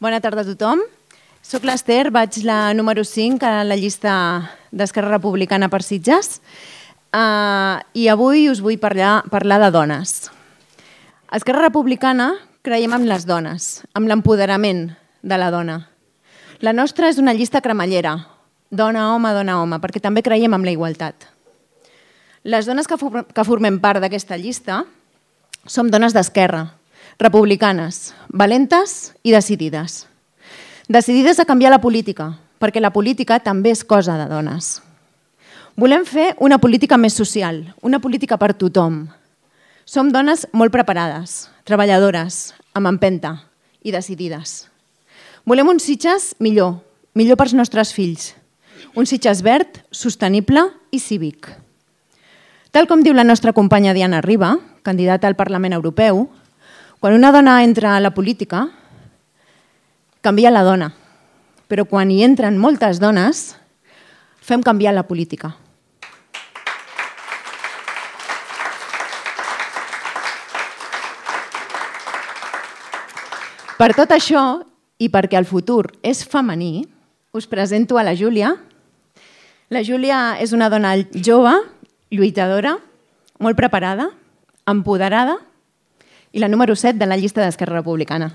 Bona tarda a tothom. Soc l'Ester, vaig la número 5 a la llista d'Esquerra Republicana per Sitges i avui us vull parlar de dones. A Esquerra Republicana creiem en les dones, en l'empoderament de la dona. La nostra és una llista cremallera, dona-home, perquè també creiem en la igualtat. Les dones que formem part d'aquesta llista som dones d'esquerra, republicanes, valentes i decidides. Decidides a canviar la política, perquè la política també és cosa de dones. Volem fer una política més social, una política per tothom. Som dones molt preparades, treballadores, amb empenta i decidides. Volem un Sitges millor pels nostres fills. Un Sitges verd, sostenible i cívic. Tal com diu la nostra companya Diana Riba, candidata al Parlament Europeu, quan una dona entra a la política, canvia la dona. Però quan hi entren moltes dones, fem canviar la política. Per tot això, i perquè el futur és femení, us presento a la Júlia. La Júlia és una dona jove, lluitadora, molt preparada, empoderada i la número 7 de la llista d'Esquerra Republicana.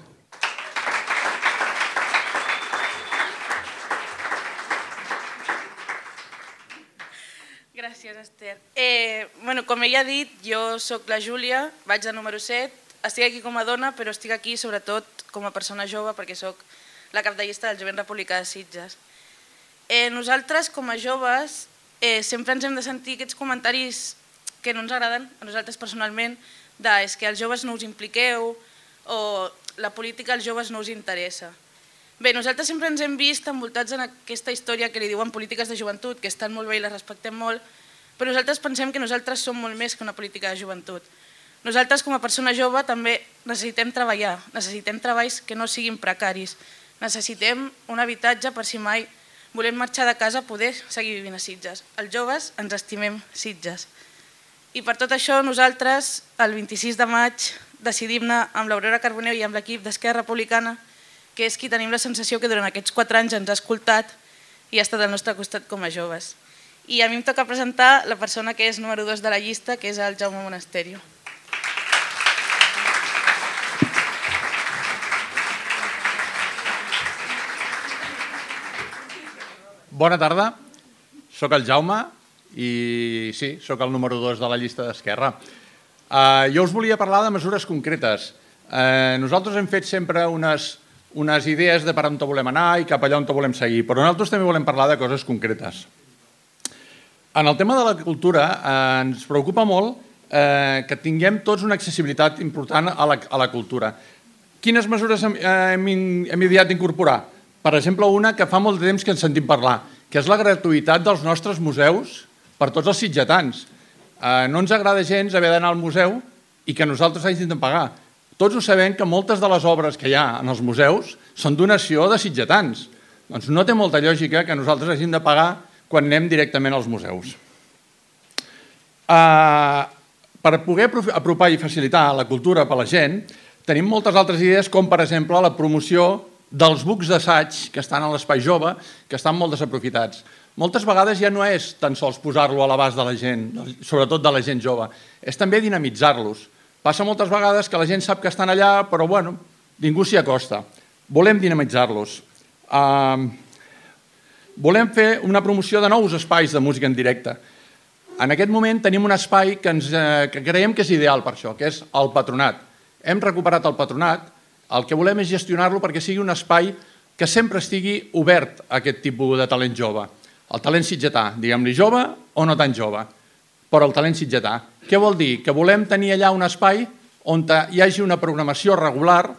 Gràcies, Esther. Com ella ha dit, jo sóc la Júlia, vaig de número 7, estic aquí com a dona, però estic aquí sobretot com a persona jove perquè sóc la cap de llista del Jovent Republicà de Sitges. Nosaltres, com a joves, sempre ens hem de sentir aquests comentaris que no ens agraden a nosaltres personalment, és que els joves no us impliqueu o la política als joves no us interessa. Bé, nosaltres sempre ens hem vist envoltats en aquesta història que li diuen polítiques de joventut, que estan molt bé i les respectem molt, però nosaltres pensem que nosaltres som molt més que una política de joventut. Nosaltres, com a persona jove, també necessitem treballar, necessitem treballs que no siguin precaris, necessitem un habitatge per si mai volem marxar de casa poder seguir vivint a Sitges. Els joves ens estimem Sitges. I per tot això nosaltres, el 26 de maig, decidim anar amb l'Aurora Carbonell i amb l'equip d'Esquerra Republicana, que és qui tenim la sensació que durant aquests 4 anys ens ha escoltat i ha estat al nostre costat com a joves. I a mi em toca presentar la persona que és número 2 de la llista, que és el Jaume Monasterio. Bona tarda, soc el Jaume i sí, soc el número 2 de la llista d'Esquerra. Jo us volia parlar de mesures concretes. Nosaltres hem fet sempre unes idees de per on volem anar i cap allà on volem seguir, però nosaltres també volem parlar de coses concretes. En el tema de la cultura ens preocupa molt que tinguem tots una accessibilitat important a la cultura. Quines mesures hem ideat d'incorporar? Per exemple, una que fa molt de temps que ens sentim parlar, que és la gratuïtat dels nostres museus per tots els sitgetans. No ens agrada gens haver d'anar al museu i que nosaltres hàgim de pagar. Tots ho sabem que moltes de les obres que hi ha en els museus són donació de sitgetans. Doncs no té molta lògica que nosaltres hàgim de pagar quan anem directament als museus. Per poder apropar i facilitar la cultura per a la gent, tenim moltes altres idees, com per exemple la promoció dels bucs d'assaig que estan a l'Espai Jove, que estan molt desaprofitats. Moltes vegades ja no és tan sols posar-lo a l'abast de la gent, sobretot de la gent jove, és també dinamitzar-los. Passa moltes vegades que la gent sap que estan allà, però ningú s'hi acosta. Volem dinamitzar-los. Volem fer una promoció de nous espais de música en directe. En aquest moment tenim un espai que creiem que és ideal per això, que és el Patronat. Hem recuperat el Patronat, el que volem és gestionar-lo perquè sigui un espai que sempre estigui obert a aquest tipus de talent jove. El talent sitgetà, diguem-li jove o no tan jove, però el talent sitgetà. Què vol dir? Que volem tenir allà un espai on hi hagi una programació regular,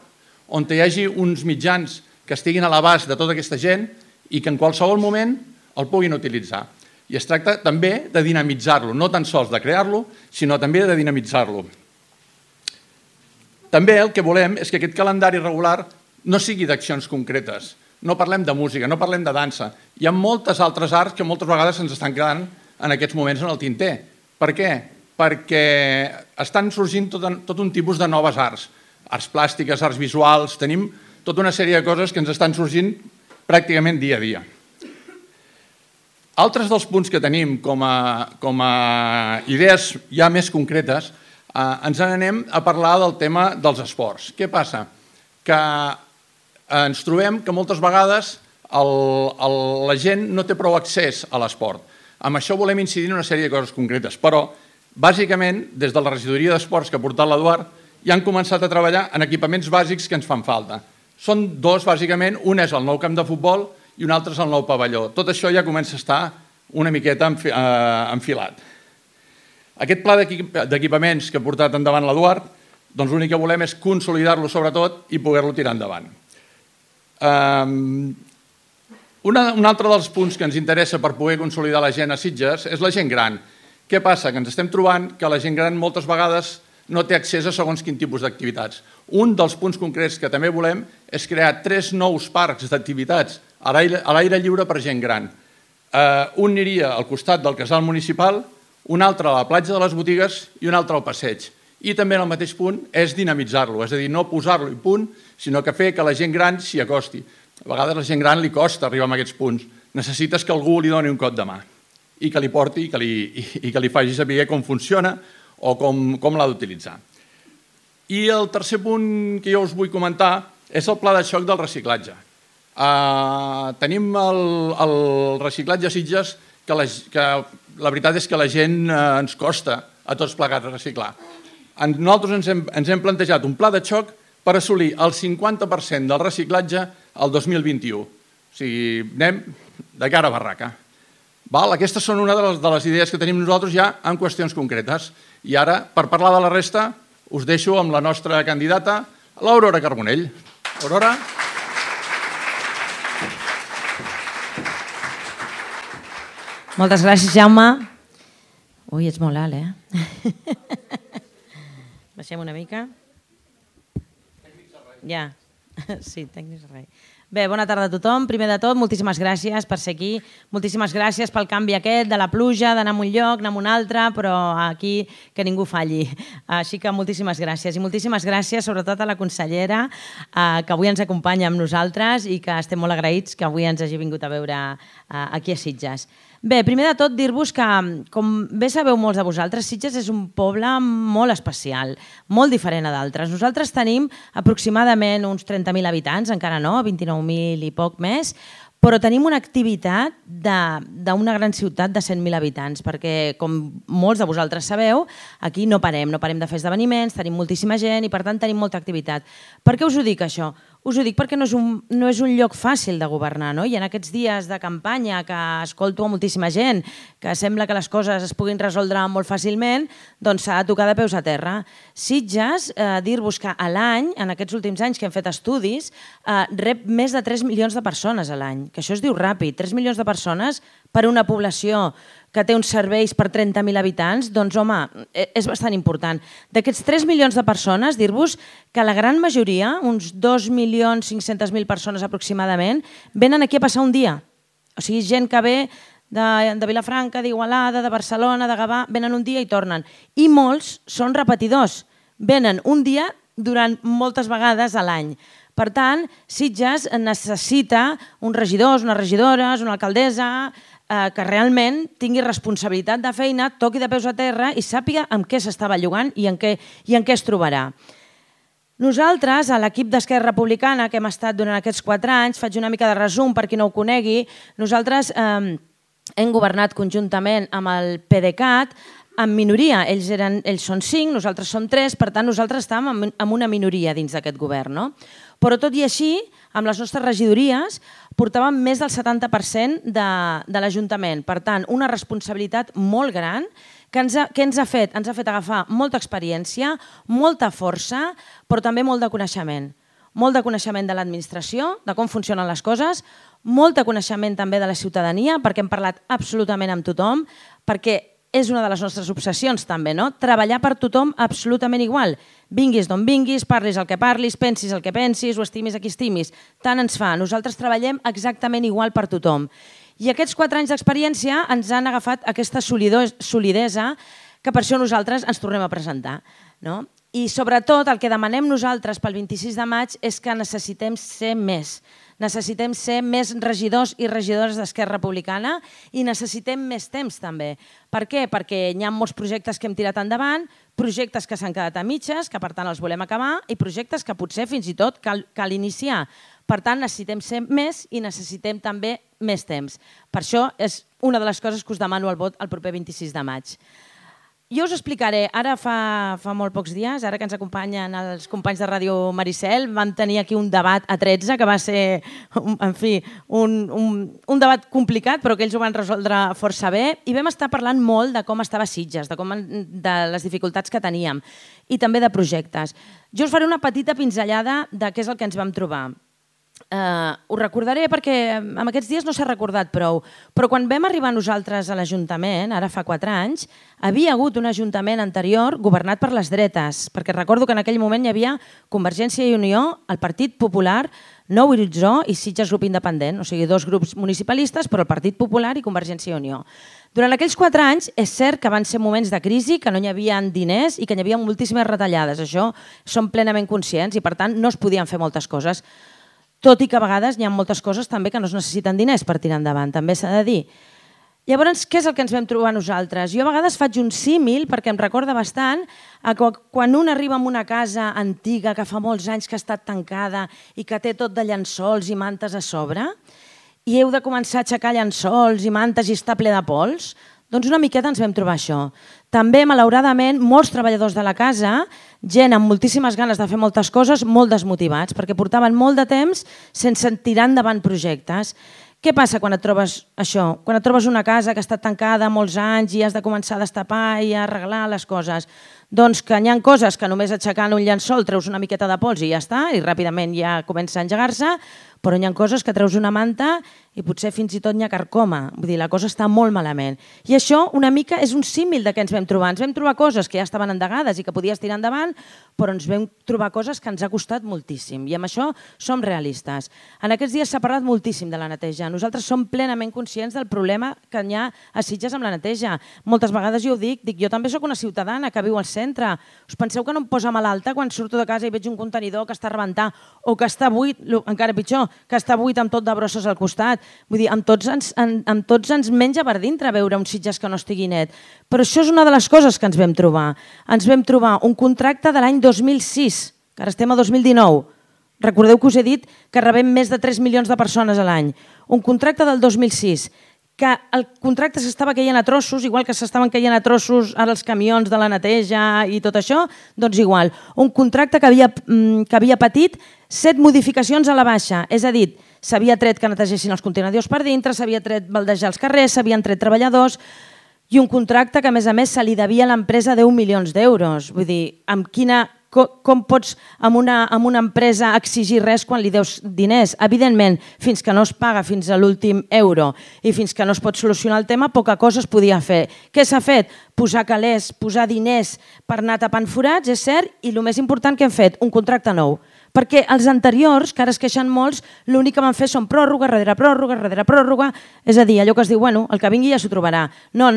on hi hagi uns mitjans que estiguin a l'abast de tota aquesta gent i que en qualsevol moment el puguin utilitzar. I es tracta també de dinamitzar-lo, no tan sols de crear-lo, sinó també de dinamitzar-lo. També el que volem és que aquest calendari regular no sigui d'accions concretes. No parlem de música, no parlem de dansa. Hi ha moltes altres arts que moltes vegades ens estan quedant en aquests moments en el tinter. Per què? Perquè estan sorgint tot un tipus de noves arts. Arts plàstiques, arts visuals, tenim tota una sèrie de coses que ens estan sorgint pràcticament dia a dia. Altres dels punts que tenim com a idees ja més concretes, ens n'anem a parlar del tema dels esports. Què passa? Que ens trobem que moltes vegades la gent no té prou accés a l'esport. Amb això volem incidir en una sèrie de coses concretes, però bàsicament des de la regidoria d'esports que ha portat l'Eduard ja han començat a treballar en equipaments bàsics que ens fan falta. Són dos, bàsicament, un és el nou camp de futbol i un altre és el nou pavelló. Tot això ja comença a estar una miqueta enfilat. Aquest pla d'equipaments que ha portat endavant l'Eduard, doncs l'únic que volem és consolidar-lo sobretot i poder-lo tirar endavant. Un altre dels punts que ens interessa per poder consolidar la gent a Sitges és la gent gran. Què passa? Que ens estem trobant que la gent gran moltes vegades no té accés a segons quin tipus d'activitats. Un dels punts concrets que també volem és crear 3 nous parcs d'activitats a l'aire lliure per gent gran. Un aniria al costat del casal municipal, un altre a la platja de les botigues i un altre al passeig. I també en el mateix punt és dinamitzar-lo, és a dir, no posar-lo i punt, sinó que fer que la gent gran s'hi acosti. A vegades a la gent gran li costa arribar a aquests punts. Necessites que algú li doni un cop de mà i que li porti i que li faci saber com funciona o com l'ha d'utilitzar. I el tercer punt que jo us vull comentar és el pla de xoc del reciclatge. Tenim el reciclatge a Sitges que la veritat és que la gent ens costa a tots plegats reciclar. Nosaltres ens hem plantejat un pla de xoc per assolir el 50% del reciclatge al 2021. O sigui, anem de cara a barraca. Aquestes són una de les idees que tenim nosaltres ja en qüestions concretes. I ara, per parlar de la resta, us deixo amb la nostra candidata, l'Aurora Carbonell. Aurora. Moltes gràcies, Jaume. Ui, ets molt alt, eh? Baixem una mica. Ja, sí, tècnics res. Bé, bona tarda a tothom. Primer de tot, moltíssimes gràcies per ser aquí. Moltíssimes gràcies pel canvi aquest de la pluja, d'anar a un lloc, anar a un altre, però aquí que ningú falli. Així que moltíssimes gràcies. I moltíssimes gràcies sobretot a la consellera que avui ens acompanya amb nosaltres i que estem molt agraïts que avui ens hagi vingut a veure aquí a Sitges. Bé, primer de tot dir-vos que, com bé sabeu molts de vosaltres, Sitges és un poble molt especial, molt diferent a d'altres. Nosaltres tenim aproximadament uns 30.000 habitants, encara no, 29.000 i poc més, però tenim una activitat d'una gran ciutat de 100.000 habitants, perquè, com molts de vosaltres sabeu, aquí no parem de fer esdeveniments, tenim moltíssima gent i, per tant, tenim molta activitat. Per què us ho dic, això? Us ho dic perquè no és un lloc fàcil de governar, no? I en aquests dies de campanya que escolto a moltíssima gent, que sembla que les coses es puguin resoldre molt fàcilment, doncs s'ha de tocar de peus a terra. Sitges, dir-vos que a l'any, en aquests últims anys que hem fet estudis, rep més de 3 milions de persones a l'any, que això es diu ràpid, 3 milions de persones per a una població que té uns serveis per 30.000 habitants, doncs, home, és bastant important. D'aquests 3 milions de persones, dir-vos que la gran majoria, uns 2.500.000 persones aproximadament, venen aquí a passar un dia. O sigui, gent que ve de Vilafranca, d'Igualada, de Barcelona, de Gavà, venen un dia i tornen. I molts són repetidors. Venen un dia durant moltes vegades a l'any. Per tant, Sitges necessita uns regidors, unes regidores, una alcaldessa que realment tingui responsabilitat de feina, toqui de peus a terra i sàpiga amb què s'està bellugant i en què es trobarà. Nosaltres, a l'equip d'Esquerra Republicana, que hem estat durant aquests 4 anys, faig una mica de resum per qui no ho conegui, nosaltres hem governat conjuntament amb el PDeCAT, en minoria. Ells són 5, nosaltres som 3, per tant nosaltres estàvem en una minoria dins d'aquest govern, no? Però tot i així, amb les nostres regidories, portàvem més del 70% de l'Ajuntament. Per tant, una responsabilitat molt gran que ens ha fet agafar molta experiència, molta força, però també molt de coneixement. Molt de coneixement de l'administració, de com funcionen les coses, molt de coneixement també de la ciutadania, perquè hem parlat absolutament amb tothom, perquè és una de les nostres obsessions també, no? Treballar per tothom absolutament igual. Vinguis d'on vinguis, parlis el que parlis, pensis el que pensis, o estimis a qui estimis. Tant ens fa. Nosaltres treballem exactament igual per tothom. I aquests 4 anys d'experiència ens han agafat aquesta solidesa que per això nosaltres ens tornem a presentar. I sobretot el que demanem nosaltres pel 26 de maig és que necessitem ser més. Necessitem ser més regidors i regidores d'Esquerra Republicana i necessitem més temps també. Per què? Perquè hi ha molts projectes que hem tirat endavant, projectes que s'han quedat a mitges, que per tant els volem acabar, i projectes que potser fins i tot cal iniciar. Per tant, necessitem ser més i necessitem també més temps. Per això és una de les coses que us demano el vot el proper 26 de maig. Jo us explicaré, ara fa molt pocs dies, ara que ens acompanyen els companys de Ràdio Maricel, vam tenir aquí un debat a 13 que va ser, en fi, un debat complicat, però que ells ho van resoldre força bé, i vam estar parlant molt de com estava Sitges, de les dificultats que teníem i també de projectes. Jo us faré una petita pinzellada de què és el que ens vam trobar. Ho recordaré perquè en aquests dies no s'ha recordat prou, però quan vam arribar nosaltres a l'Ajuntament, ara fa 4 anys, havia hagut un Ajuntament anterior governat per les dretes, perquè recordo que en aquell moment hi havia Convergència i Unió, el Partit Popular, Nou Horitzó i Sitges Grup Independent, o sigui, 2 grups municipalistes, però el Partit Popular i Convergència i Unió. Durant aquells 4 anys és cert que van ser moments de crisi, que no hi havia diners i que hi havia moltíssimes retallades. Això som plenament conscients i, per tant, no es podien fer moltes coses. Tot i que a vegades hi ha moltes coses també que no es necessiten diners per tirar endavant, també s'ha de dir. Llavors, què és el que ens vam trobar nosaltres? Jo a vegades faig un símil, perquè em recorda bastant, a quan un arriba a una casa antiga que fa molts anys que ha estat tancada i que té tot de llençols i mantes a sobre, i heu de començar a aixecar llençols i mantes i està ple de pols, doncs una miqueta ens vam trobar això. També, malauradament, molts treballadors de la casa, gent amb moltíssimes ganes de fer moltes coses, molt desmotivats, perquè portaven molt de temps sense tirar endavant projectes. Què passa quan et trobes això? Quan et trobes una casa que ha estat tancada molts anys i has de començar a destapar i a arreglar les coses? Doncs que hi ha coses que només aixecant un llençol treus una miqueta de pols i ja està, i ràpidament ja comença a engegar-se, però hi ha coses que treus una manta i potser fins i tot n'hi ha carcoma. Vull dir, la cosa està molt malament. I això una mica és un símil de què ens vam trobar. Ens vam trobar coses que ja estaven endegades i que podies tirar endavant, però ens vam trobar coses que ens ha costat moltíssim. I amb això som realistes. En aquests dies s'ha parlat moltíssim de la neteja. Nosaltres som plenament conscients del problema que hi ha a Sitges amb la neteja. Moltes vegades jo ho dic, jo també sóc una ciutadana que viu al centre. Us penseu que no em posa malalta quan surto de casa i veig un contenidor que està a rebentar o que està buit, encara pitjor, que està buit amb tot de brosses al costat. Vull dir, amb tots ens menja per dintre veure un Sitges que no estigui net. Però això és una de les coses que ens vam trobar. Ens vam trobar un contracte de l'any 2006, que ara estem a 2019. Recordeu que us he dit que rebem més de 3 milions de persones a l'any. Un contracte del 2006, que el contracte s'estava caient a trossos, igual que s'estaven caient a trossos ara els camions de la neteja i tot això, doncs igual. Un contracte que havia patit 7 modificacions a la baixa, és a dir, s'havia tret que netegessin els contenidors per dintre, s'havia tret baldejar els carrers, s'havien tret treballadors, i un contracte que, a més, se li devia a l'empresa 10 milions d'euros. Vull dir, com pots amb una empresa exigir res quan li deus diners? Evidentment, fins que no es paga fins a l'últim euro i fins que no es pot solucionar el tema, poca cosa es podia fer. Què s'ha fet? Posar calés, posar diners per anar tapant forats, és cert, i el més important que hem fet, un contracte nou. Perquè els anteriors, que ara es queixen molts, l'únic que van fer són pròrroga rere pròrroga rere pròrroga, és a dir, allò que es diu, bueno, el que vingui ja s'ho trobarà. No,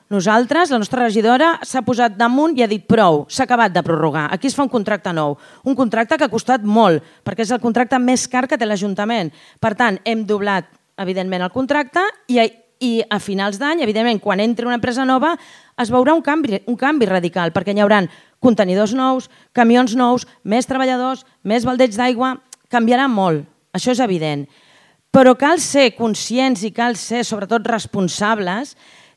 nosaltres, la nostra regidora, s'ha posat damunt i ha dit prou, s'ha acabat de prorrogar, aquí es fa un contracte nou, un contracte que ha costat molt, perquè és el contracte més car que té l'Ajuntament. Per tant, hem doblat, evidentment, el contracte i a finals d'any, evidentment, quan entri una empresa nova, es veurà un canvi radical, perquè hi haurà contenidors nous, camions nous, més treballadors, més baldeig d'aigua, canviarà molt, això és evident. Però cal ser conscients i cal ser, sobretot, responsables,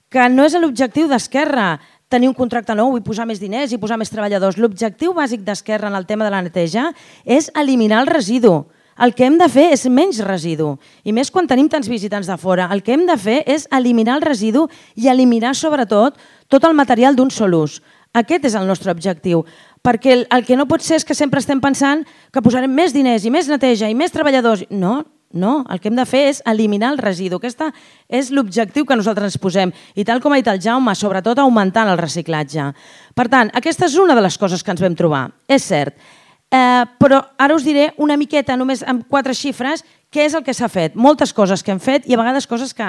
que no és l'objectiu d'Esquerra tenir un contracte nou i posar més diners i posar més treballadors. L'objectiu bàsic d'Esquerra en el tema de la neteja és eliminar el residu. El que hem de fer és menys residu, i més quan tenim tants visitants de fora. El que hem de fer és eliminar el residu i eliminar, sobretot, tot el material d'un sol ús. Aquest és el nostre objectiu, perquè el que no pot ser és que sempre estem pensant que posarem més diners i més neteja i més treballadors. No, el que hem de fer és eliminar el residu. Aquest és l'objectiu que nosaltres ens posem, i tal com ha dit el Jaume, sobretot augmentant el reciclatge. Per tant, aquesta és una de les coses que ens vam trobar, és cert. Però ara us diré una miqueta, només amb 4 xifres, què és el que s'ha fet. Moltes coses que hem fet i a vegades coses que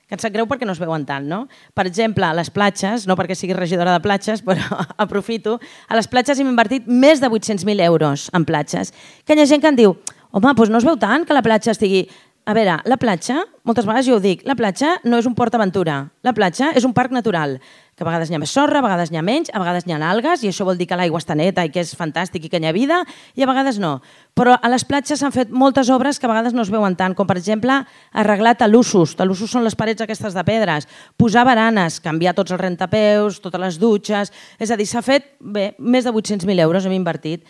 que em sap greu perquè no es veuen tant, no? Per exemple, a les platges, no perquè sigui regidora de platges, però aprofito, a les platges hem invertit més de 800.000 euros en platges. Que hi ha gent que em diu, home, doncs no es veu tant que la platja estigui... A veure, la platja, moltes vegades jo ho dic, la platja no és un port aventura, la platja és un parc natural, que a vegades hi ha més sorra, a vegades n'hi ha menys, a vegades n'hi ha algues, i això vol dir que l'aigua està neta i que és fantàstic i que hi ha vida, i a vegades no. Però a les platges s'han fet moltes obres que a vegades no es veuen tant, com per exemple arreglar talussos. Talussos són les parets aquestes de pedres, posar baranes, canviar tots els rentapeus, totes les dutxes... És a dir, s'ha fet, bé, més de 800.000 euros hem invertit.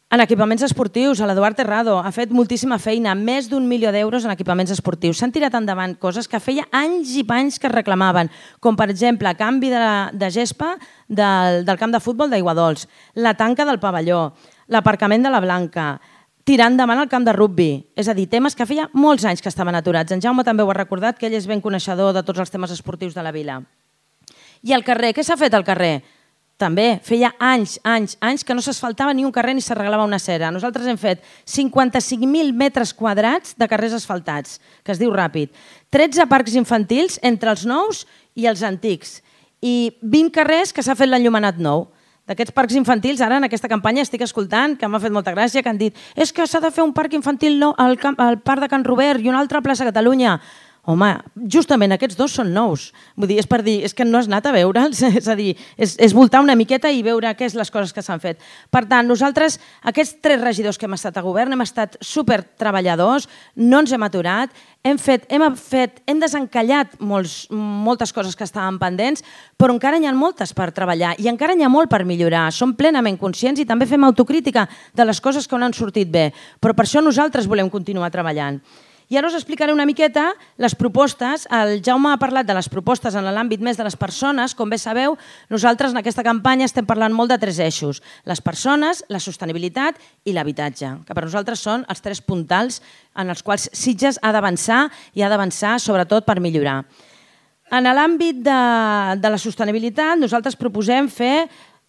En equipaments esportius, l'Eduard Terrado ha fet moltíssima feina, més d'1 milió d'euros en equipaments esportius. S'han tirat endavant coses que feia anys i panys que es reclamaven, com per exemple canvi de gespa del camp de futbol d'Aiguadols, la tanca del pavelló, l'aparcament de la Blanca, tirar endavant el camp de rugbi. És a dir, temes que feia molts anys que estaven aturats. En Jaume també ho ha recordat, que ell és ben coneixedor de tots els temes esportius de la vila. I al carrer, què s'ha fet al carrer? També feia anys que no s'asfaltava ni un carrer ni s'arreglava una acera. Nosaltres hem fet 55.000 metres quadrats de carrers asfaltats, que es diu ràpid, 13 parcs infantils entre els nous i els antics i 20 carrers que s'ha fet l'enllumenat nou. D'aquests parcs infantils, ara en aquesta campanya estic escoltant, que m'ha fet molta gràcia, que han dit és que s'ha de fer un parc infantil nou al parc de Can Robert i una altra a plaça Catalunya. Home, justament aquests dos són nous. Vull dir, és per dir, és que no has anat a veure'ls, és a dir, és voltar una miqueta i veure què és les coses que s'han fet. Per tant, nosaltres, aquests 3 regidors que hem estat a govern, hem estat supertreballadors, no ens hem aturat, hem desencallat moltes coses que estaven pendents, però encara n'hi ha moltes per treballar i encara n'hi ha molt per millorar. Som plenament conscients i també fem autocrítica de les coses que no han sortit bé, però per això nosaltres volem continuar treballant. I ara us explicaré una miqueta les propostes. El Jaume ha parlat de les propostes en l'àmbit més de les persones. Com bé sabeu, nosaltres en aquesta campanya estem parlant molt de 3 eixos. Les persones, la sostenibilitat i l'habitatge, que per nosaltres són els 3 puntals en els quals Sitges ha d'avançar i ha d'avançar sobretot per millorar. En l'àmbit de la sostenibilitat, nosaltres proposem fer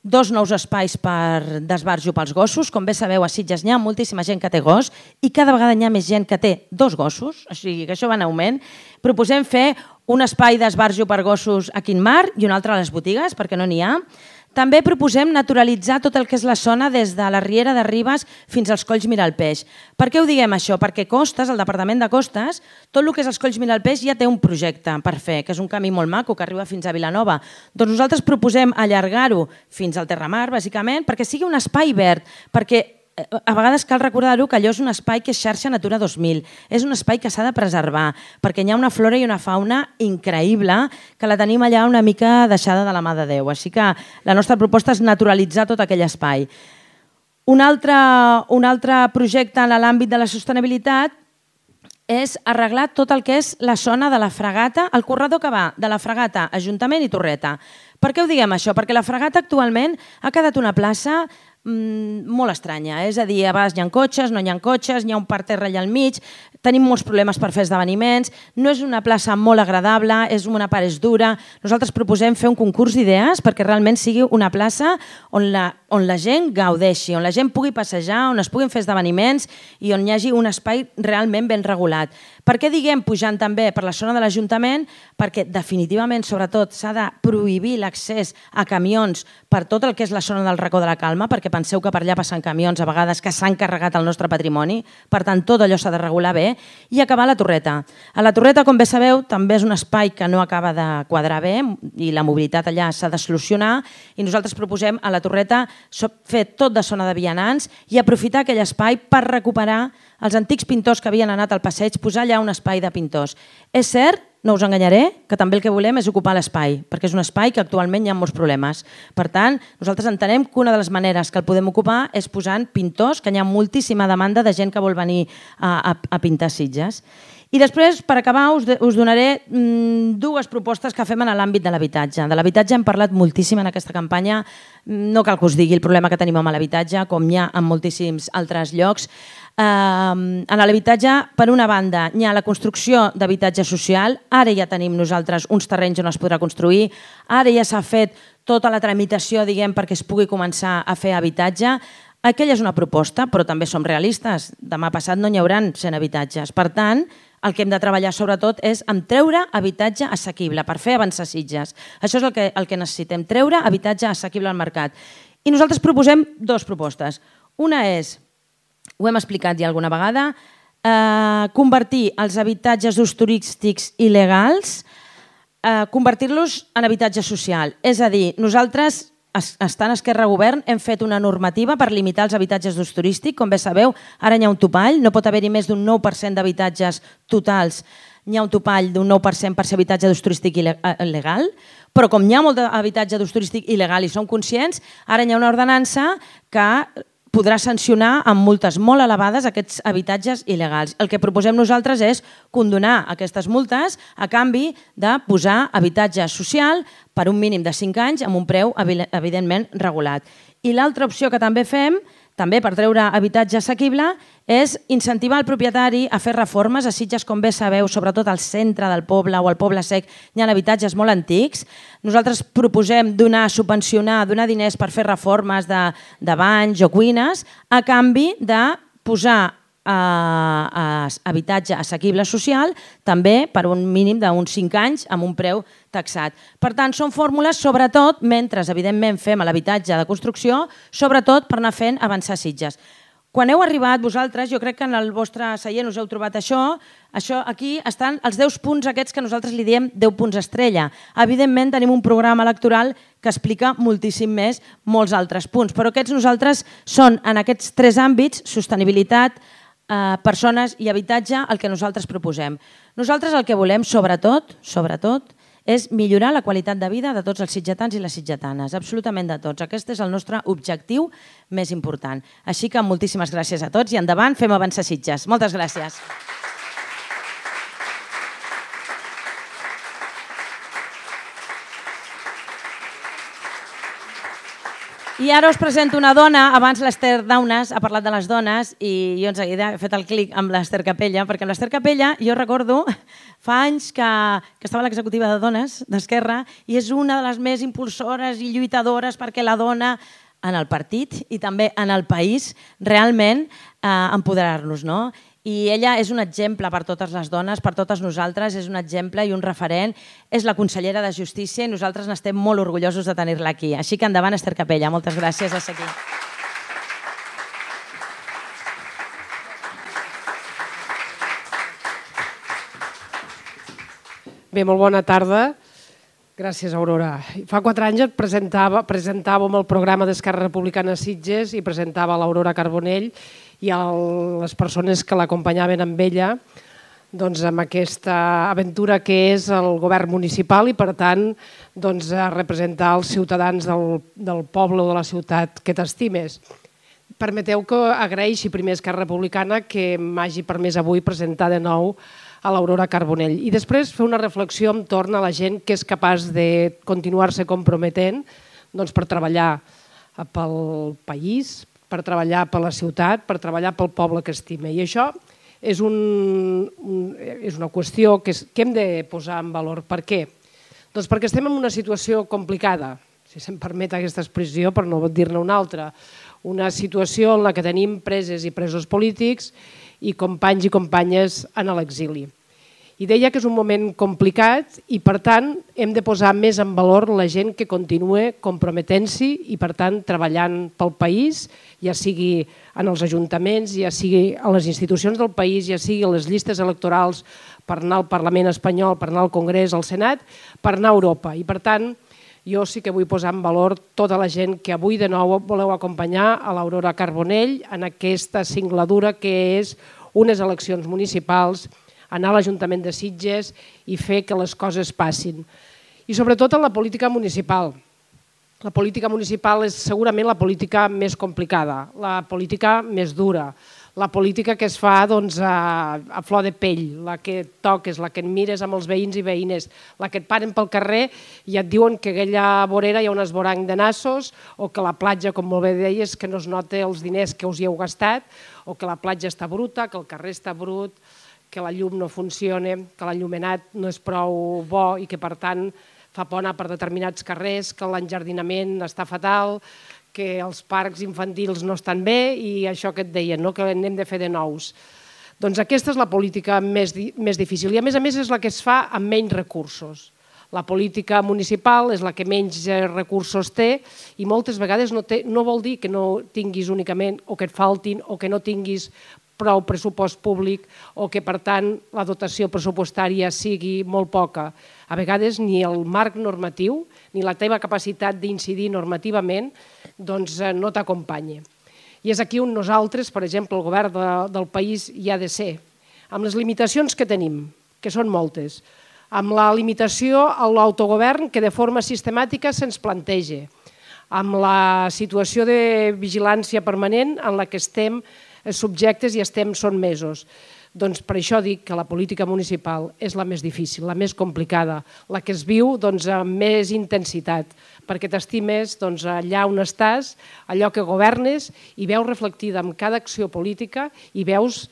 2 nous espais per d'esbarjo pels gossos. Com bé sabeu, a Sitges n'hi ha moltíssima gent que té gos i cada vegada n'hi ha més gent que té 2 gossos, o sigui que això va en augment. Proposem fer un espai d'esbarjo per gossos a Quin Mar i un altre a les botigues, perquè no n'hi ha. També proposem naturalitzar tot el que és la zona des de la Riera de Ribes fins als Colls Miralpeix. Per què ho diguem això? Perquè Costes, el Departament de Costes, tot el que és els Colls Miralpeix ja té un projecte per fer, que és un camí molt maco que arriba fins a Vilanova. Doncs nosaltres proposem allargar-ho fins al Terramar, bàsicament, perquè sigui un espai verd, perquè a vegades cal recordar-ho que allò és un espai que és xarxa Natura 2000, és un espai que s'ha de preservar, perquè hi ha una flora i una fauna increïble que la tenim allà una mica deixada de la mà de Déu. Així que la nostra proposta és naturalitzar tot aquell espai. Un altre projecte en l'àmbit de la sostenibilitat és arreglar tot el que és la zona de la Fragata, el corredor que va de la Fragata, Ajuntament i Torreta. Per què ho diguem això? Perquè la Fragata actualment ha quedat una plaça molt estranya, és a dir, a vegades hi ha cotxes, no hi ha cotxes, hi ha un parterre allà al mig, tenim molts problemes per fer esdeveniments, no és una plaça molt agradable, una part és dura. Nosaltres proposem fer un concurs d'idees perquè realment sigui una plaça on la gent gaudeixi, on la gent pugui passejar, on es puguin fer esdeveniments i on hi hagi un espai realment ben regulat. Per què diguem pujant també per la zona de l'Ajuntament? Perquè definitivament, sobretot, s'ha de prohibir l'accés a camions per tot el que és la zona del Racó de la Calma, perquè penseu que per allà passen camions a vegades que s'han carregat el nostre patrimoni, per tant tot allò s'ha de regular bé, i acabar a la Torreta. A la Torreta, com bé sabeu, també és un espai que no acaba de quadrar bé i la mobilitat allà s'ha de solucionar i nosaltres proposem a la Torreta fer tot de zona de vianants i aprofitar aquell espai per recuperar els antics pintors que havien anat al passeig, posar allà un espai de pintors. És cert, no us enganyaré, que també el que volem és ocupar l'espai, perquè és un espai que actualment hi ha molts problemes. Per tant, nosaltres entenem que una de les maneres que el podem ocupar és posant pintors, que hi ha moltíssima demanda de gent que vol venir a pintar Sitges. I després, per acabar, us donaré 2 propostes que fem en l'àmbit de l'habitatge. De l'habitatge hem parlat moltíssim en aquesta campanya, no cal que us digui el problema que tenim amb l'habitatge, com hi ha en moltíssims altres llocs. En l'habitatge, per una banda, hi ha la construcció d'habitatge social, ara ja tenim nosaltres uns terrenys on es podrà construir, ara ja s'ha fet tota la tramitació, diguem, perquè es pugui començar a fer habitatge. Aquella és una proposta, però també som realistes. Demà passat no n'hi haurà 100 habitatges. Per tant, el que hem de treballar sobretot és en treure habitatge assequible per fer avançar Sitges. Això és el que necessitem, treure habitatge assequible al mercat. I nosaltres proposem dues propostes. Una és, ho hem explicat ja alguna vegada, convertir els habitatges d'ús turístics il·legals, convertir-los en habitatge social. És a dir, nosaltres, estant a Esquerra Govern, hem fet una normativa per limitar els habitatges d'ús turístic. Com bé sabeu, ara hi ha un topall, no pot haver-hi més d'un 9% d'habitatges totals, hi ha un topall d'un 9% per ser habitatge d'ús turístic il·legal, però com hi ha molt d'habitatge d'ús turístic il·legal i som conscients, ara hi ha una ordenança que podrà sancionar amb multes molt elevades aquests habitatges il·legals. El que proposem nosaltres és condonar aquestes multes a canvi de posar habitatge social per un mínim de 5 anys amb un preu evidentment regulat. I l'altra opció que també fem, també per treure habitatge assequible, és incentivar el propietari a fer reformes. A Sitges, com bé sabeu, sobretot al centre del poble o al Poble Sec, hi ha habitatges molt antics. Nosaltres proposem subvencionar, donar diners per fer reformes de banys o cuines a canvi de posar habitatge assequible social també per un mínim d'uns 5 anys amb un preu taxat. Per tant, són fórmules, sobretot, mentre evidentment fem l'habitatge de construcció, sobretot per anar fent avançar Sitges. Quan heu arribat vosaltres, jo crec que en el vostre seient us heu trobat això, aquí estan els 10 punts aquests que nosaltres li diem 10 punts estrella. Evidentment tenim un programa electoral que explica moltíssim més molts altres punts, però aquests nosaltres són en aquests 3 àmbits, sostenibilitat, persones i habitatge, el que nosaltres proposem. Nosaltres el que volem, sobretot, és millorar la qualitat de vida de tots els sitgetans i les sitgetanes, absolutament de tots. Aquest és el nostre objectiu més important. Així que moltíssimes gràcies a tots i endavant, fem avançar Sitges. Moltes gràcies. I ara us presento una dona. Abans l'Ester Daunes ha parlat de les dones i jo en seguida he fet el clic amb l'Ester Capella, perquè amb l'Ester Capella jo recordo fa anys que estava a l'executiva de dones d'Esquerra i és una de les més impulsores i lluitadores perquè la dona en el partit i també en el país realment empoderar-nos, no? I ella és un exemple per totes les dones, per totes nosaltres, és un exemple i un referent. És la consellera de Justícia i nosaltres n'estem molt orgullosos de tenir-la aquí. Així que endavant, Ester Capella. Moltes gràcies de ser aquí. Bé, molt bona tarda. Gràcies, Aurora. Fa 4 anys presentàvem el programa d'Esquerra Republicana a Sitges i presentava l'Aurora Carbonell i les persones que l'acompanyaven amb ella amb aquesta aventura que és el govern municipal i, per tant, representar els ciutadans del poble o de la ciutat que t'estimes. Permeteu que agraeixi primer a Esquerra Republicana que m'hagi permès avui presentar de nou a l'Aurora Carbonell i després fer una reflexió entorn a la gent que és capaç de continuar-se comprometent per treballar pel país, per treballar per la ciutat, per treballar pel poble que estima. I això és una qüestió que hem de posar en valor. Per què? Doncs perquè estem en una situació complicada, si se'm permet aquesta expressió per no dir-ne una altra, una situació en la que tenim preses i presos polítics i companys i companyes en l'exili. I deia que és un moment complicat i, per tant, hem de posar més en valor la gent que continua comprometent-s'hi i, per tant, treballant pel país, ja sigui en els ajuntaments, ja sigui a les institucions del país, ja sigui a les llistes electorals per anar al Parlament espanyol, per anar al Congrés, al Senat, per anar a Europa. I, per tant, jo sí que vull posar en valor tota la gent que avui de nou voleu acompanyar a l'Aurora Carbonell en aquesta singladura que és unes eleccions municipals, anar a l'Ajuntament de Sitges i fer que les coses passin. I sobretot en la política municipal. La política municipal és segurament la política més complicada, la política més dura, la política que es fa a flor de pell, la que et toques, la que et mires amb els veïns i veïnes, la que et paren pel carrer i et diuen que a aquella vorera hi ha un esvoranc de nassos o que la platja, com molt bé deies, que no es nota els diners que us hi heu gastat o que la platja està bruta, que el carrer està brut, que la llum no funciona, que l'enllumenat no és prou bo i que, per tant, fa por anar per determinats carrers, que l'enjardinament està fatal, que els parcs infantils no estan bé i això que et deien, que n'hem de fer de nous. Doncs aquesta és la política més difícil i a més és la que es fa amb menys recursos. La política municipal és la que menys recursos té i moltes vegades no vol dir que no tinguis únicament o que et faltin o que no tinguis prou pressupost públic o que, per tant, la dotació pressupostària sigui molt poca. A vegades ni el marc normatiu ni la teva capacitat d'incidir normativament no t'acompanya. I és aquí on nosaltres, per exemple, el govern del país hi ha de ser, amb les limitacions que tenim, que són moltes, amb la limitació a l'autogovern que de forma sistemàtica se'ns planteja, amb la situació de vigilància permanent en la que estem subjectes i estem sotmesos. Doncs per això dic que la política municipal és la més difícil, la més complicada, la que es viu amb més intensitat, perquè t'estimes allà on estàs, allò que governes i veus reflectida en cada acció política i veus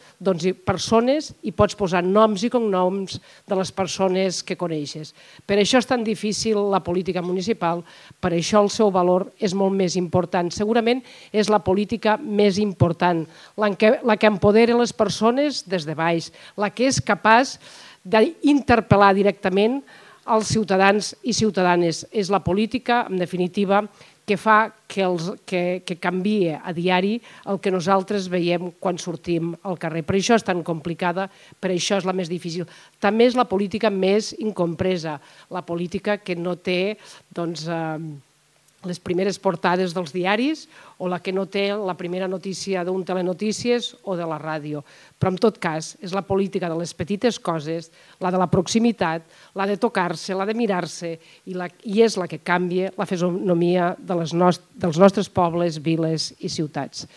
persones i pots posar noms i cognoms de les persones que coneixes. Per això és tan difícil la política municipal, per això el seu valor és molt més important. Segurament és la política més important, la que empodera les persones des de baix, la que és capaç d'interpel·lar directament els ciutadans i ciutadanes. És la política, en definitiva, que fa que canvie a diari el que nosaltres veiem quan sortim al carrer. Per això és tan complicada, per això és la més difícil. També és la política més incompresa, la política que no té les primeres portades dels diaris o la que no té la primera notícia d'un telenotícies o de la ràdio. Però en tot cas és la política de les petites coses, la de la proximitat, la de tocar-se, la de mirar-se i és la que canvia la fisonomia dels nostres pobles, viles i ciutats.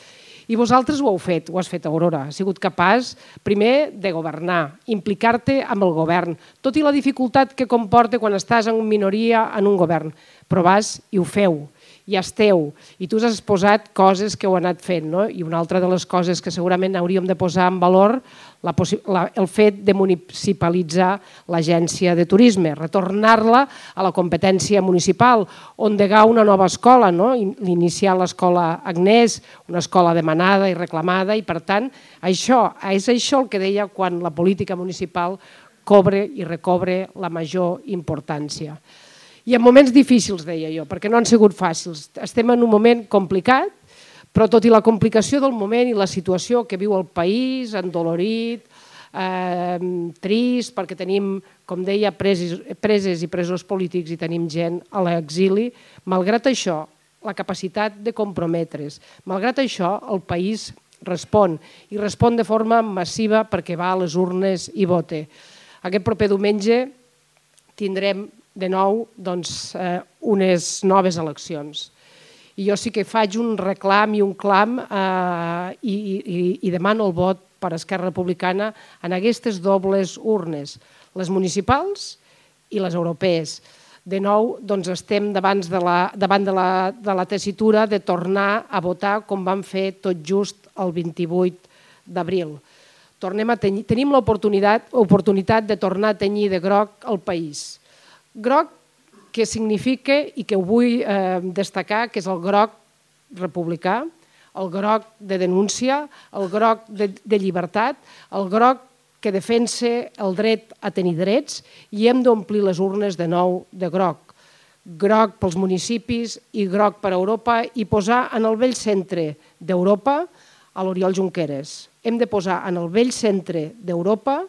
I vosaltres ho heu fet, ho has fet, Aurora. Has sigut capaç, primer, de governar, implicar-te amb el govern, tot i la dificultat que comporta quan estàs en minoria en un govern. Però vas i ho feu, i esteu, i tu has posat coses que heu anat fent. I una altra de les coses que segurament hauríem de posar en valor, el fet de municipalitzar l'agència de turisme, retornar-la a la competència municipal, endegar una nova escola, iniciar l'escola Agnès, una escola demanada i reclamada, i per tant, és això el que deia quan la política municipal cobra i recobre la major importància. I en moments difícils, deia jo, perquè no han sigut fàcils. Estem en un moment complicat, però tot i la complicació del moment i la situació que viu el país, endolorit, trist, perquè tenim, com deia, preses i presos polítics i tenim gent a l'exili, malgrat això, la capacitat de comprometre's, malgrat això, el país respon, i respon de forma massiva perquè va a les urnes i vota. Aquest proper diumenge tindrem de nou unes noves eleccions. I jo sí que faig un reclam i un clam i demano el vot per Esquerra Republicana en aquestes dobles urnes, les municipals i les europees. De nou, estem davant de la tessitura de tornar a votar com vam fer tot just el 28 d'abril. Tenim l'oportunitat de tornar a tenyir de groc el país. Groc que significa, i que ho vull destacar, que és el groc republicà, el groc de denúncia, el groc de llibertat, el groc que defensa el dret a tenir drets, i hem d'omplir les urnes de nou de groc. Groc pels municipis i groc per a Europa, i posar en el vell centre d'Europa a l'Oriol Junqueras. Hem de posar en el vell centre d'Europa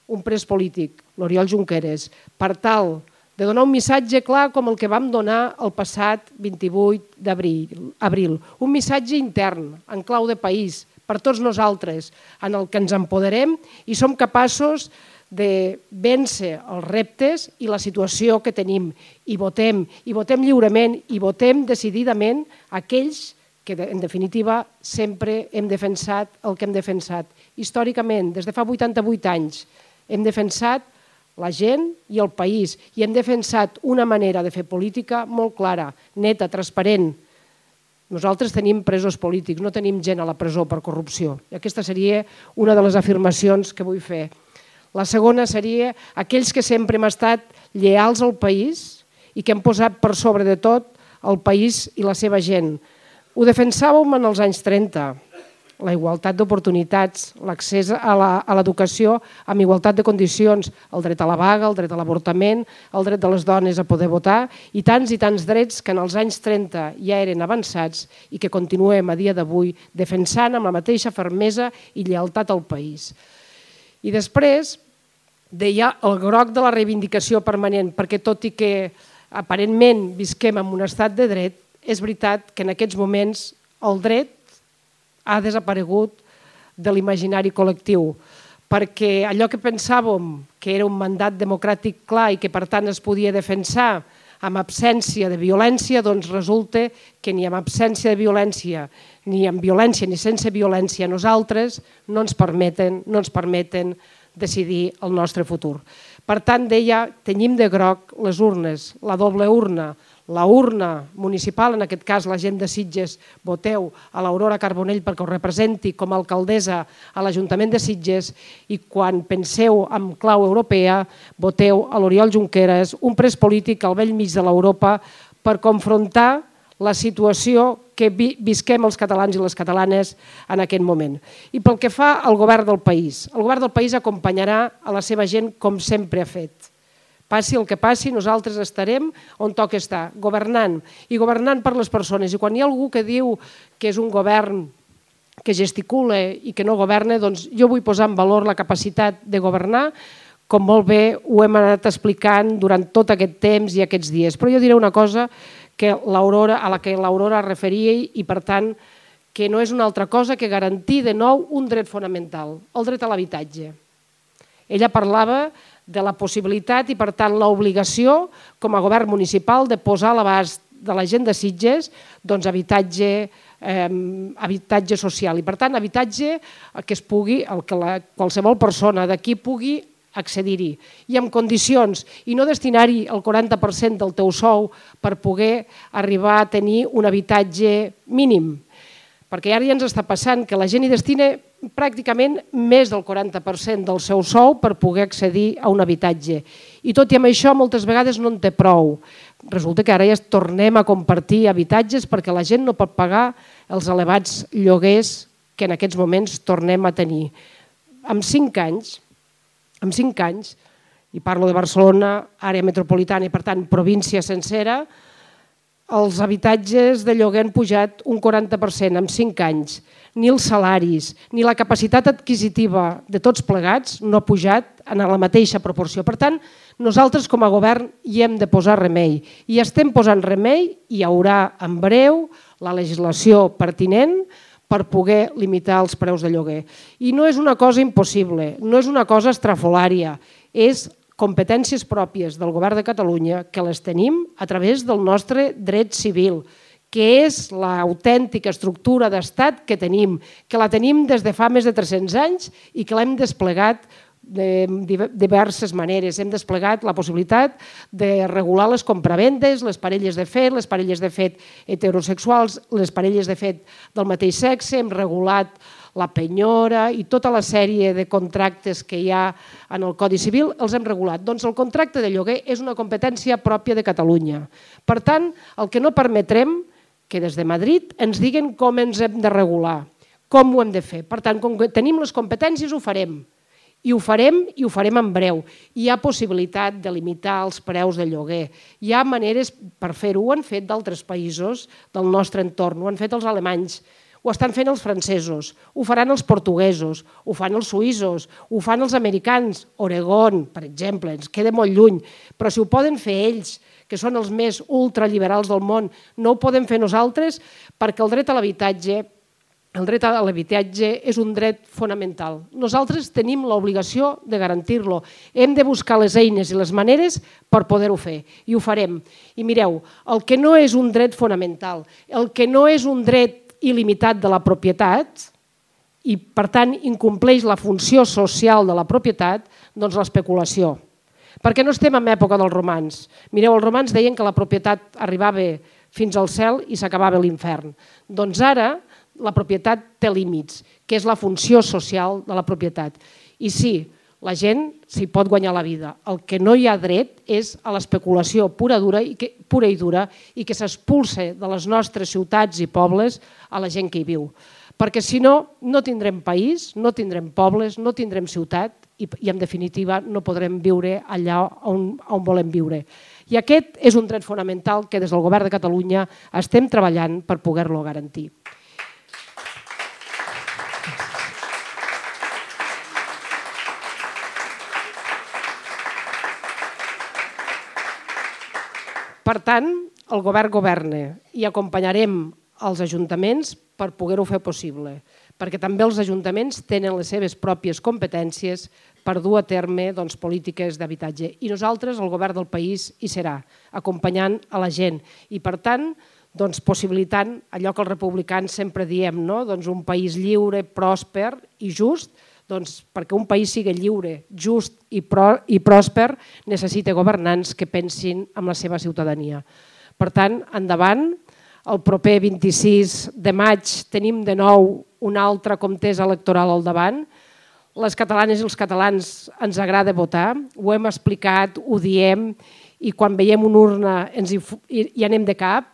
un pres polític, l'Oriol Junqueras, per tal de donar un missatge clar com el que vam donar el passat 28 d'abril. Un missatge intern, en clau de país, per tots nosaltres, en el que ens empoderem i som capaços de vèncer els reptes i la situació que tenim. I votem lliurement i votem decididament aquells que, en definitiva, sempre hem defensat el que hem defensat. Històricament, des de fa 88 anys, hem defensat la gent i el país, i hem defensat una manera de fer política molt clara, neta, transparent. Nosaltres tenim presos polítics, no tenim gent a la presó per corrupció. I aquesta seria una de les afirmacions que vull fer. La segona seria aquells que sempre hem estat lleials al país i que hem posat per sobre de tot el país i la seva gent. Ho defensàvem en els anys 30. la igualtat d'oportunitats, l'accés a l'educació amb igualtat de condicions, el dret a la vaga, el dret a l'avortament, el dret de les dones a poder votar i tants drets que en els anys 30 ja eren avançats i que continuem a dia d'avui defensant amb la mateixa fermesa i lleialtat al país. I després deia el groc de la reivindicació permanent, perquè tot i que aparentment visquem en un estat de dret, és veritat que en aquests moments el dret ha desaparegut de l'imaginari col·lectiu, perquè allò que pensàvem que era un mandat democràtic clar i que per tant es podia defensar amb absència de violència, doncs resulta que ni amb absència de violència, ni amb violència ni sense violència, nosaltres no ens permeten decidir el nostre futur. Per tant, deia, tenyim de groc les urnes, la doble urna, la urna municipal, en aquest cas la gent de Sitges, voteu a l'Aurora Carbonell perquè ho representi com a alcaldessa a l'Ajuntament de Sitges i quan penseu en clau europea, voteu a l'Oriol Junqueras, un pres polític al vell mig de l'Europa per confrontar la situació que visquem els catalans i les catalanes en aquest moment. I pel que fa al govern del país, el govern del país acompanyarà a la seva gent com sempre ha fet. Passi el que passi, nosaltres estarem on toca estar, governant, i governant per les persones. I quan hi ha algú que diu que és un govern que gesticula i que no governa, doncs jo vull posar en valor la capacitat de governar, com molt bé ho hem anat explicant durant tot aquest temps i aquests dies. Però jo diré una cosa a la que l'Aurora es referia i, per tant, que no és una altra cosa que garantir de nou un dret fonamental, el dret a l'habitatge. Ella parlava de la possibilitat i, per tant, l'obligació com a govern municipal de posar a l'abast de la gent de Sitges habitatge social i, per tant, habitatge que es pugui, que qualsevol persona d'aquí pugui accedir-hi i amb condicions i no destinar-hi el 40% del teu sou per poder arribar a tenir un habitatge mínim. Perquè ara ja ens està passant que la gent hi destina pràcticament més del 40% del seu sou per poder accedir a un habitatge. I tot i amb això moltes vegades no en té prou. Resulta que ara ja tornem a compartir habitatges perquè la gent no pot pagar els elevats lloguers que en aquests moments tornem a tenir. En 5 anys, i parlo de Barcelona, àrea metropolitana i per tant província sencera, els habitatges de lloguer han pujat un 40% en 5 anys. Ni els salaris, ni la capacitat adquisitiva de tots plegats no ha pujat en la mateixa proporció. Per tant, nosaltres com a govern hi hem de posar remei. I estem posant remei i hi haurà en breu la legislació pertinent per poder limitar els preus de lloguer. I no és una cosa impossible, no és una cosa estrafolària, és competències pròpies del Govern de Catalunya que les tenim a través del nostre dret civil, que és l'autèntica estructura d'estat que tenim, que la tenim des de fa més de 300 anys i que l'hem desplegat de diverses maneres. Hem desplegat la possibilitat de regular les compravendes, les parelles de fet heterosexuals, les parelles de fet del mateix sexe, hem regulat la penyora i tota la sèrie de contractes que hi ha en el Codi Civil els hem regulat. Doncs el contracte de lloguer és una competència pròpia de Catalunya. Per tant, el que no permetrem que des de Madrid ens diguen com ens hem de regular, com ho hem de fer. Per tant, com que tenim les competències, ho farem. I ho farem en breu. Hi ha possibilitat de limitar els preus de lloguer. Hi ha maneres per fer-ho. Ho han fet d'altres països del nostre entorn. Ho han fet els alemanys. Ho estan fent els francesos, ho faran els portuguesos, ho fan els suïssos, ho fan els americans, Oregon, per exemple, ens queda molt lluny, però si ho poden fer ells, que són els més ultraliberals del món, no ho podem fer nosaltres perquè el dret a l'habitatge és un dret fonamental. Nosaltres tenim l'obligació de garantir-lo. Hem de buscar les eines i les maneres per poder-ho fer i ho farem. I mireu, el que no és un dret fonamental, el que no és un dret il·limitat de la propietat i, per tant, incompleix la funció social de la propietat, doncs l'especulació. Perquè no estem en època dels romans. Mireu, els romans deien que la propietat arribava fins al cel i s'acabava l'infern. Doncs ara la propietat té límits, que és la funció social de la propietat. I sí, la gent s'hi pot guanyar la vida. El que no hi ha dret és a l'especulació pura i dura i que s'expulsa de les nostres ciutats i pobles a la gent que hi viu. perquè si no, no tindrem país, no tindrem pobles, no tindrem ciutat i en definitiva no podrem viure allà on volem viure. I aquest és un dret fonamental que des del Govern de Catalunya estem treballant per poder-lo garantir. Per tant, el govern governa i acompanyarem els ajuntaments per poder-ho fer possible, perquè també els ajuntaments tenen les seves pròpies competències per dur a terme polítiques d'habitatge. I nosaltres, el govern del país, hi serà, acompanyant a la gent. I per tant, possibilitant allò que els republicans sempre diem, un país lliure, pròsper i just, perquè un país sigui lliure, just i pròsper necessita governants que pensin en la seva ciutadania. Per tant, endavant, el proper 26 de maig tenim de nou una altra contesa electoral al davant. Les catalanes i els catalans ens agrada votar, ho hem explicat, ho diem, i quan veiem una urna hi anem de cap.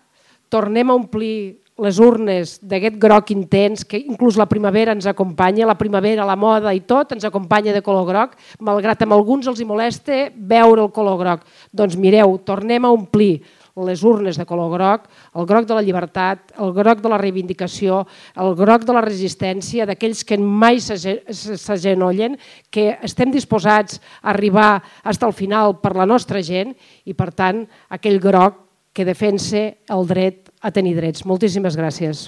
Tornem a omplir les urnes d'aquest groc intens, que inclús la primavera ens acompanya, la primavera, la moda i tot ens acompanya de color groc, malgrat a alguns els molesta veure el color groc. Doncs mireu, tornem a omplir les urnes de color groc, el groc de la llibertat, el groc de la reivindicació, el groc de la resistència, d'aquells que mai s'agenollen, que estem disposats a arribar fins al final per la nostra gent i, per tant, aquell groc que defensa el dret a tenir drets. Moltíssimes gràcies.